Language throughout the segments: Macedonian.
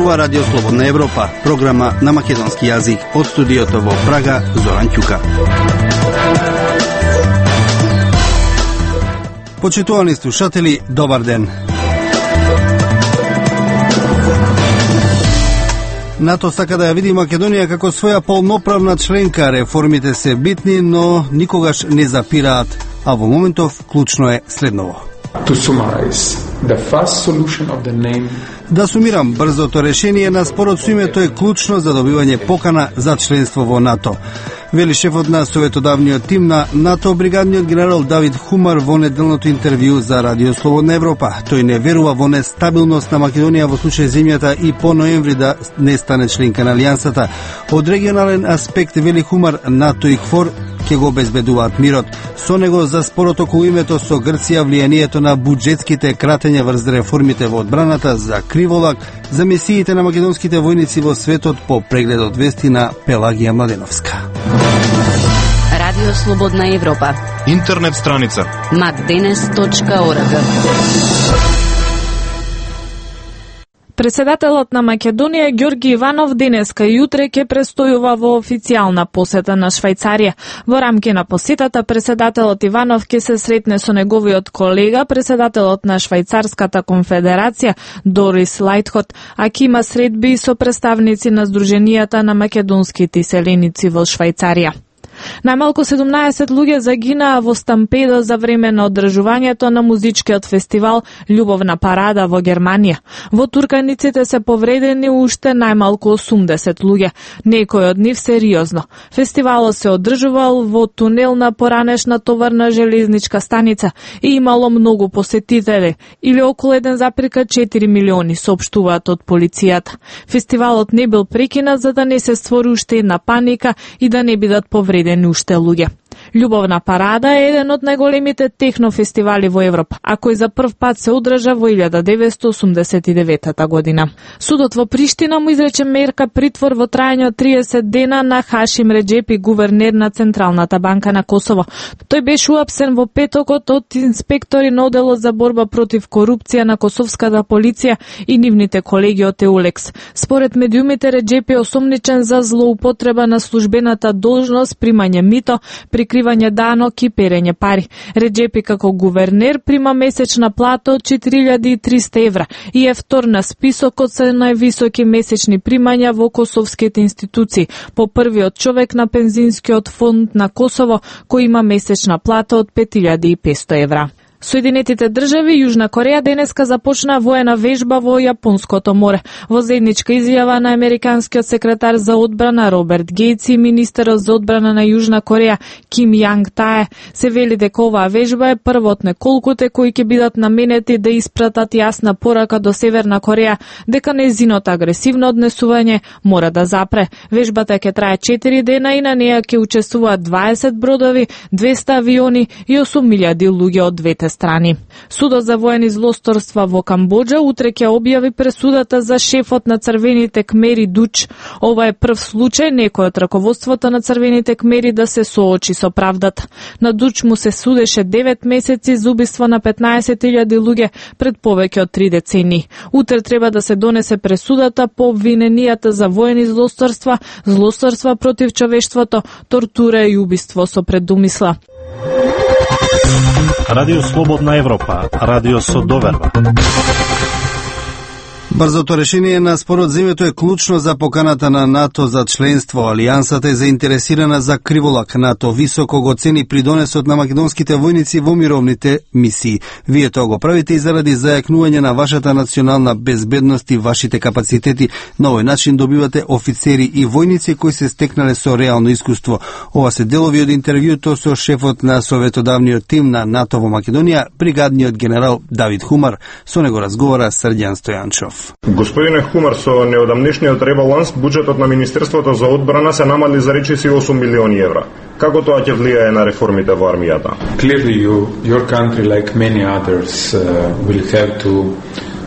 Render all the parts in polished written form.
Зборува Радио Слободна Европа, програма на македонски јазик од студиото во Прага, Зоран Ќука. Почитувани слушатели, добар ден. НАТО сака да ја види Македонија како своја полноправна членка. Реформите се битни, но никогаш не запираат, а во моментов клучно е следново. Да сумирам, брзото решение на спорот со името е клучно за добивање покана за членство во НАТО. Вели шефот на советодавниот тим на НАТО, бригадниот генерал Давид Хумар во неделното интервју за Радио Слободна Европа. Тој не верува во нестабилност на Македонија во случај земјата и по ноември да не стане членка на Алијансата. Од регионален аспект, вели Хумар, НАТО и КФОР ќе го обезбедуваат мирот. Со него за спорот околу името со Грција, влијанието на буџетските кратења врз реформите во одбраната, за криволак, за мисиите на македонските војници во светот, по прегледот вести на Пелагија Младеновска. Радио Слободна Европа. Интернет страница macdenes.org. Председателот на Македонија Ѓорги Иванов денеска и утре ќе престојува во официјална посета на Швајцарија. Во рамки на посетата, председателот Иванов ќе се сретне со неговиот колега, председателот на Швајцарската конфедерација Дорис Лајтхот, а ќе има средби со представници на Сдруженијата на македонските иселеници во Швајцарија. Најмалку 17 луѓе загинаа во стампеда за време на одржувањето на музичкиот фестивал Љубовна парада во Германија. Во Турканиците се повредени уште најмалку 80 луѓе, некои од нив сериозно. Фестивалот се одржувал во тунел на поранешна товарна железничка станица и имало многу посетители, или околу 1,4 милиони, соопштуваат од полицијата. Фестивалот не бил прекинат за да не се створи уште една паника и да не бидат повредени уште луѓе. Љубовна парада е еден од најголемите технофестивали во Европа, а кој за прв пат се одржа во 1989 година. Судот во Приштина му изрече мерка притвор во трајање од 30 дена на Хашим Реджепи, гувернер на Централната банка на Косово. Тој беше уапсен во петокот од инспектори на оделот за борба против корупција на косовската полиција и нивните колеги од Еулекс. Според медиумите, Реджепи е осомничен за злоупотреба на службената должност, примање мито, прикривање данок и перење пари. Реджепи како гувернер прима месечна плата од 4300 евра и е втор на списокот со највисоки месечни примања во косовските институции, по првиот човек на пензинскиот фонд на Косово, кој има месечна плата од 5500 евра. Соединетите држави и Јужна Кореја денеска започна воена вежба во Јапонското море. Во заедничка изјава на американскиот секретар за одбрана Роберт Гејц и министерот за одбрана на Јужна Кореја Ким Јанг Таe се вели дека оваа вежба е прва од неколкуте кои ќе бидат наменети да испратат јасна порака до Северна Кореја дека нејзиното агресивно однесување мора да запре. Вежбата ќе трае 4 дена и на неја ќе учествуваат 20 бродови, 200 авиони и 8.000 луѓе од двете страни. Судот за воени злосторства во Камбоџа утре ќе објави пресудата за шефот на црвените кмери Дуч. Ова е прв случај некој од раководството на црвените кмери да се соочи со правдата. На Дуч му се судеше 9 месеци за убиство на 15.000 луѓе пред повеќе од 3 децении. Утре треба да се донесе пресудата по обвиненијата за воени злосторства, злосторства против човештвото, тортура и убиство со предумисла. Радио Слободна Европа, радио со доверба. Брзото решение на спорот земјето е клучно за поканата на НАТО за членство. Алијансата е заинтересирана за криволак. НАТО високо го цени придонесот на македонските војници во мировните мисии. Вие тоа го правите и заради зајакнување на вашата национална безбедност и вашите капацитети. На овој начин добивате офицери и војници кои се стекнале со реално искуство. Ова се делови од интервјуто со шефот на советодавниот тим на НАТО во Македонија, бригадниот генерал Давид Хумар. Со него разговара Срđan Стојанчов. Господине Хумар, со неодамнешниот ребаланс, буџетот на Министерството за одбрана се намали за речиси 8 милиони евра. Како тоа ќе влијае на реформите во армијата? Clearly, your country, like many others, will have to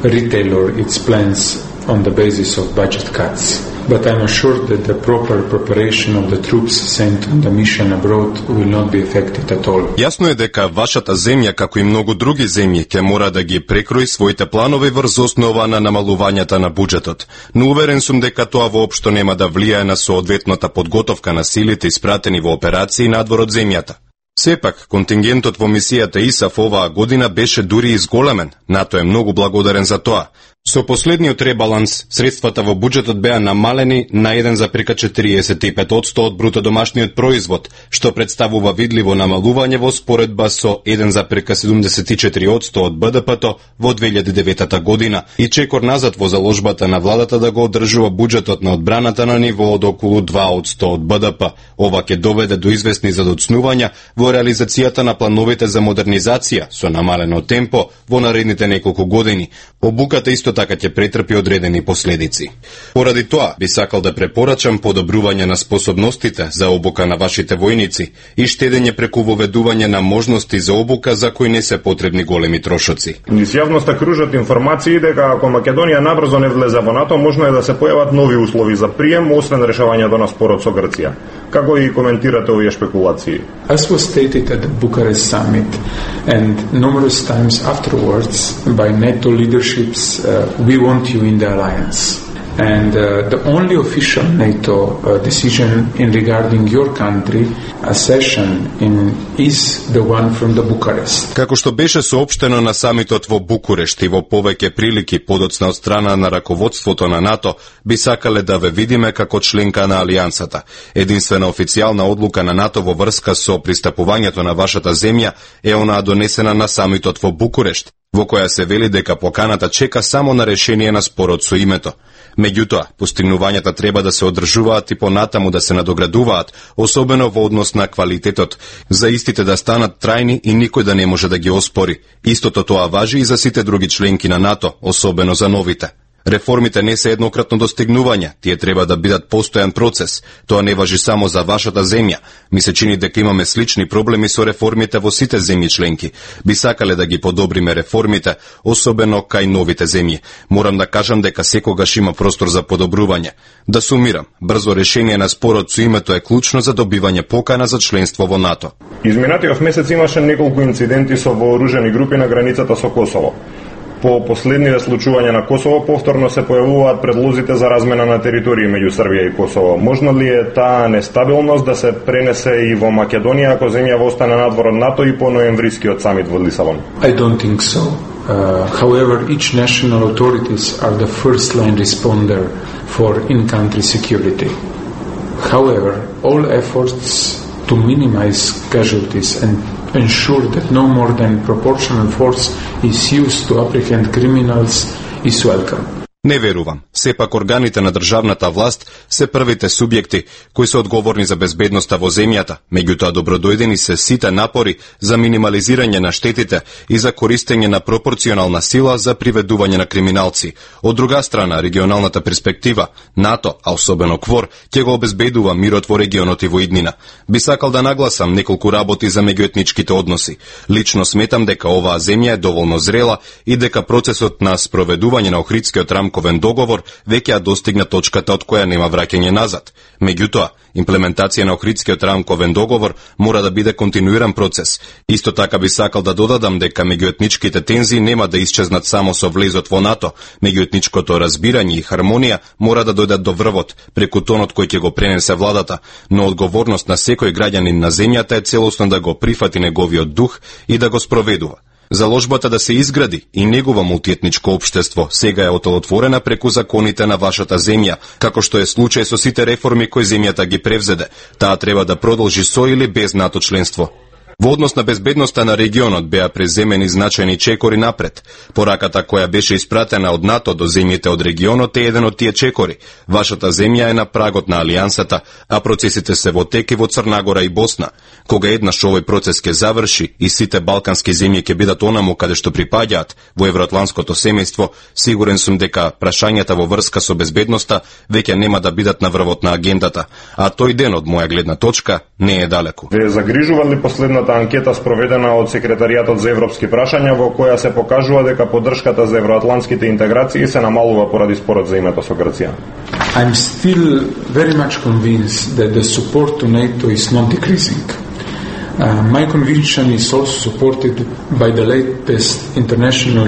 retailor its plans on the basis of budget cuts. but I'm assured that the proper preparation of the troops sent on the mission abroad will not be affected at all. Јасно е дека вашата земја, како и многу други земји, ќе мора да ги прекрои своите планови врз основа на намалувањата на буџетот. Но уверен сум дека тоа воопшто нема да влијае на соодветната подготовка на силите испратени во операции надвор од земјата. Сепак, контингентот во мисијата ИСАФ оваа година беше дури изголемен. НАТО е многу благодарен за тоа. Со последниот ребаланс, средствата во буџетот беа намалени на 1,45% од бруто домашниот производ, што представува видливо намалување во споредба со 1,74% од БДП-то во 2009 година и чекор назад во заложбата на владата да го одржува буџетот на одбраната на ниво од околу 2% од БДП. Ова ќе доведе до известни задоцнувања во реализацијата на плановите за модернизација со намалено темпо во наредните неколку години. Обуката исто така ќе претрпи одредени последици. Поради тоа, би сакал да препорачам подобрување на способностите за обука на вашите војници и штедење преку воведување на можности за обука за кои не се потребни големи трошоци. Низ јавноста кружат информации дека ако Македонија набрзо не влезе во НАТО, можно е да се појават нови услови за прием, освен решавањето на спорот со Грција. Како и коментирате овие шпекулации? As was stated at the Bucharest summit and numerous times afterwards by NATO leaderships, we want you in the alliance. And the only official NATO decision in regarding your country accession is the one from the Bucharest. Како што беше соопштено на самитот во Букурешт и во повеќе прилики подоцна од страна на раководството на НАТО, би сакале да ве видиме како членка на алијансата. Единствена официјална одлука на НАТО во врска со пристапувањето на вашата земја е онаа донесена на самитот во Букурешт, во која се вели дека поканата чека само на решение на спорот со името. Меѓутоа, постигнувањата треба да се одржуваат и понатаму да се надоградуваат, особено во однос на квалитетот, за истите да станат трајни и никој да не може да ги оспори. Истото тоа важи и за сите други членки на НАТО, особено за новите. Реформите не се еднократно достигнување, тие треба да бидат постојан процес. Тоа не важи само за вашата земја. Ми се чини дека имаме слични проблеми со реформите во сите земји членки. Би сакале да ги подобриме реформите, особено кај новите земји. Морам да кажам дека секогаш има простор за подобрување. Да сумирам, брзо решение на спорот со името е клучно за добивање покана за членство во НАТО. Изминатиот месец имаше неколку инциденти со вооружени групи на границата со Косово. По последниве случувања на Косово повторно се појавуваат предлозите за размена на територии меѓу Србија и Косово. Можно ли е таа нестабилност да се пренесе и во Македонија ако земјава остане надвор од НАТО и по ноемврискиот самит во Лисабон? I don't think so. However, each national authorities are the first line responder for in-country security. However, all efforts to minimize casualties and ensure that no more than proportional force is used to apprehend criminals is welcome. Не верувам. Сепак органите на државната власт се првите субјекти кои се одговорни за безбедноста во земјата, меѓутоа добродојдени се сите напори за минимализирање на штетите и за користење на пропорционална сила за приведување на криминалци. Од друга страна, регионалната перспектива, НАТО, а особено КФОР, ќе го обезбедува мирот во регионот и во иднина. Би сакал да нагласам неколку работи за меѓуетничките односи. Лично сметам дека оваа земја е доволно зрела и дека процесот на спроведување на Охридскиот рамковен договор веќе ја достигна точката од која нема враќање назад. Меѓутоа, имплементација на Охридскиот рамковен договор мора да биде континуиран процес. Исто така би сакал да додадам дека меѓуетничките тензии нема да исчезнат само со влезот во НАТО. Меѓуетничкото разбирање и хармонија мора да дојдат до врвот преку тонот кој ќе го пренесе владата, но одговорност на секој граѓанин на земјата е целосно да го прифати неговиот дух и да го спроведува. Заложбата да се изгради и негова мултиетничко општество сега е отолотворена преку законите на вашата земја, како што е случај со сите реформи кои земјата ги превзеде. Таа треба да продолжи со или без НАТО членство. Во однос на безбедноста на регионот беа преземени значајни чекори напред. Пораката која беше испратена од НАТО до земјите од регионот е еден од тие чекори. Вашата земја е на прагот на алијансата, а процесите се во тек и во Црна Гора и Босна. Кога еднаш овој процес ќе заврши и сите балкански земји ќе бидат онаму каде што припаѓаат во евроатланското семејство, сигурен сум дека прашањата во врска со безбедноста веќе нема да бидат на врвот на агендата, а тој ден од моја гледна точка не е далеку. Ве загрижува ли последната последната анкета спроведена од Секретаријатот за европски прашања, во која се покажува дека поддршката за евроатлантските интеграции се намалува поради спорот за името со Грција. I'm still very much convinced that the support to NATO is not decreasing. My conviction is also supported by the latest International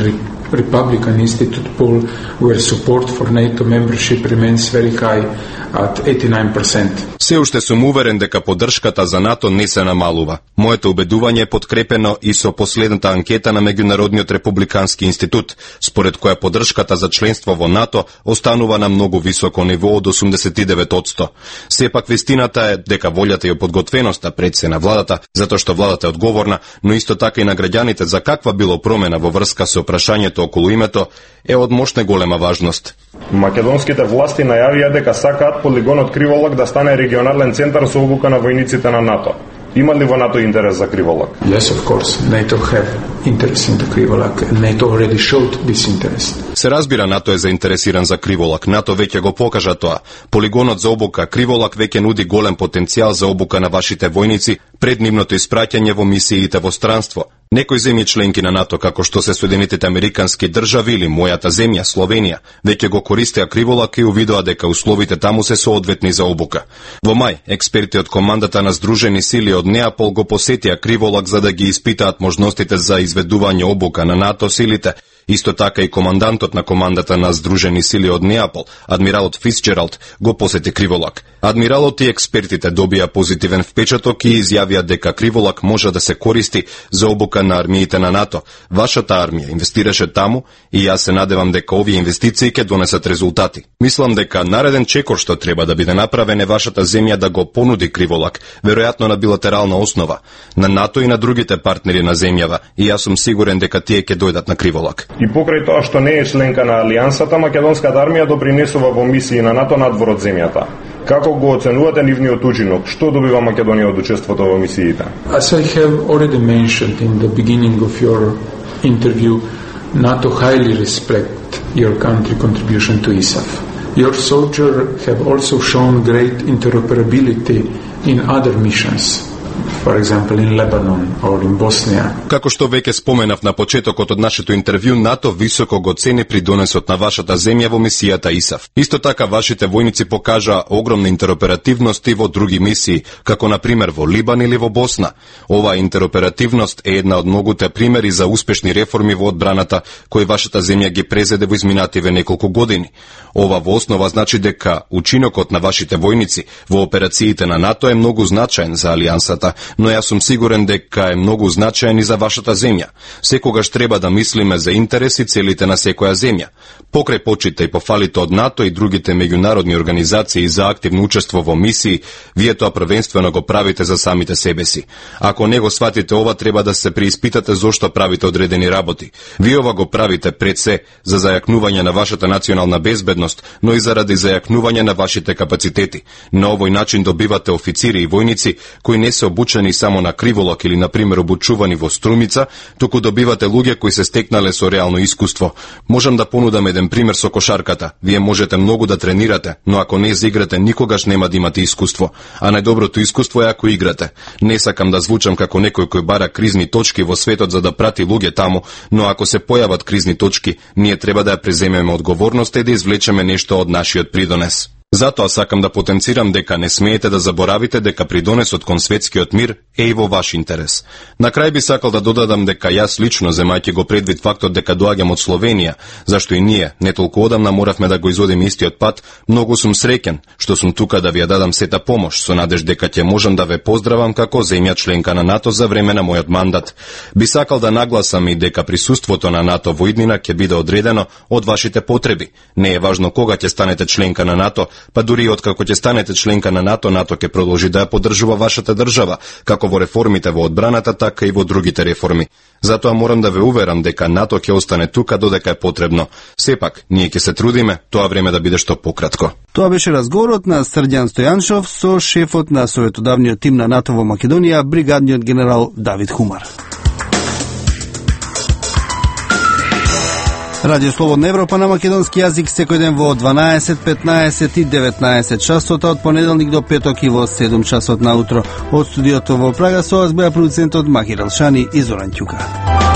Republican Institute poll, where support for NATO membership remains very high at 89%. Се уште сум уверен дека поддршката за НАТО не се намалува. Моето убедување е подкрепено и со последната анкета на Меѓународниот републикански институт, според која поддршката за членство во НАТО останува на многу високо ниво од 89%. Сепак вистината е дека волјата и подготвеноста пред се на владата, затоа што владата е одговорна, но исто така и на граѓаните за каква било промена во врска со прашањето околу името, е од мощна голема важност. Македонските власти најавија дека сакаат полигонот Криволак да стане регионален центар со обука на војниците на НАТО. Има ли во НАТО интерес за Криволак? Yes, of course. NATO have interest in the Krivolak, and NATO already showed this interest. Се разбира, НАТО е заинтересиран за Криволак. НАТО веќе го покажа тоа. Полигонот за обука Криволак веќе нуди голем потенцијал за обука на вашите војници пред нивното испраќање во мисиите во странство. Некои земји членки на НАТО, како што се Соединетите Американски држави или мојата земја, Словенија, веќе го користеа Криволак и увидоа дека условите таму се соодветни за обука. Во мај, експерти од командата на Сдружени сили од Неапол го посетија Криволак за да ги испитаат можностите за изведување обука на НАТО силите. Исто така и командантот на командата на Сдружени сили од Неапол, адмиралот Фицджералд, го посети Криволак. Адмиралот и експертите добија позитивен впечаток и изјавија дека Криволак може да се користи за обука на армиите на НАТО. Вашата армија инвестираше таму и јас се надевам дека овие инвестиции ќе донесат резултати. Мислам дека нареден чекор што треба да биде направен е вашата земја да го понуди Криволак, веројатно на билатерална основа, на НАТО и на другите партнери на земјава, и јас сум сигурен дека тие ќе дојдат на Криволак. И покрај тоа што не е членка на Алијансата, македонската армија допринесува во мисии на НАТО надвор од земјата. Како го оценувате нивниот учинок? Што добива Македонија од учеството во мисиите? As I have already mentioned in the beginning of your interview, NATO highly respect your country contribution to ISAF. Your soldiers have also shown great interoperability in other missions. For example, in Lebanon or in Bosnia. Како што веќе споменав на почетокот од нашето интервју, НАТО високо го цени придонесот на вашата земја во мисијата ИСАФ. Исто така, вашите војници покажа огромна интероперативност и во други мисии, како на пример во Либан или во Босна. Оваа интероперативност е една од многуте примери за успешни реформи во одбраната кои вашата земја ги презеде во изминативе неколку години. Ова во основа значи дека учинокот на вашите војници во операциите на НАТО е многу значаен за Алијансата, но јас сум сигурен дека е многу значаен и за вашата земја. Секогаш треба да мислиме за интерес и целите на секоја земја. Покрај почита и пофалите од НАТО и другите меѓународни организации за активно учество во мисии, вие тоа првенствено го правите за самите себе си. Ако не го сватите ова, треба да се преиспитате зошто правите одредени работи. Вие ова го правите пред се за зајакнување на вашата национална безбедност, но и заради зајакнување на вашите капацитети. На овој начин добивате официри и војници кои не се обучени само на Криволак или, например, обучувани во Струмица, туку добивате луѓе кои се стекнале со реално искуство. Можам да понудам еден пример со кошарката. Вие можете многу да тренирате, но ако не заиграте, никогаш нема да имате искуство. А најдоброто искуство е ако играте. Не сакам да звучам како некој кој бара кризни точки во светот за да прати луѓе таму, но ако се појават кризни точки, ние треба да ја преземеме одговорноста и да извлечеме нешто од нашиот придонес. Затоа сакам да потенцирам дека не смеете да заборавите дека придонесот кон светскиот мир е и во ваш интерес. На крај би сакал да додадам дека јас лично, земајќи го предвид фактот дека доаѓам од Словенија, зашто и ние не толку одамна моравме да го изодиме истиот пат, многу сум среќен што сум тука да ви ја дадам сета помош, со надеж дека ќе можам да ве поздравам како земја членка на НАТО за време на мојот мандат. Би сакал да нагласам и дека присуството на НАТО во иднина ќе биде одредено од вашите потреби. Не е важно кога ќе станете членка на НАТО, па дури откако ќе станете членка на НАТО, НАТО ќе продолжи да ја поддржува вашата држава, како во реформите во одбраната, така и во другите реформи. Затоа морам да ве уверам дека НАТО ќе остане тука додека е потребно. Сепак, ние ќе се трудиме тоа време да биде што пократко. Тоа беше разговорот на Срđan Стојаншов со шефот на советодавниот тим на НАТО во Македонија, бригадниот генерал Давид Хумар. Радио Слободна Европа на македонски јазик секој ден во 12, 15 и 19 часот, од понеделник до петок и во 7 часот наутро. Од студиото во Прага со вас беа продуцентот Махир Алшани и Зоран Ќука.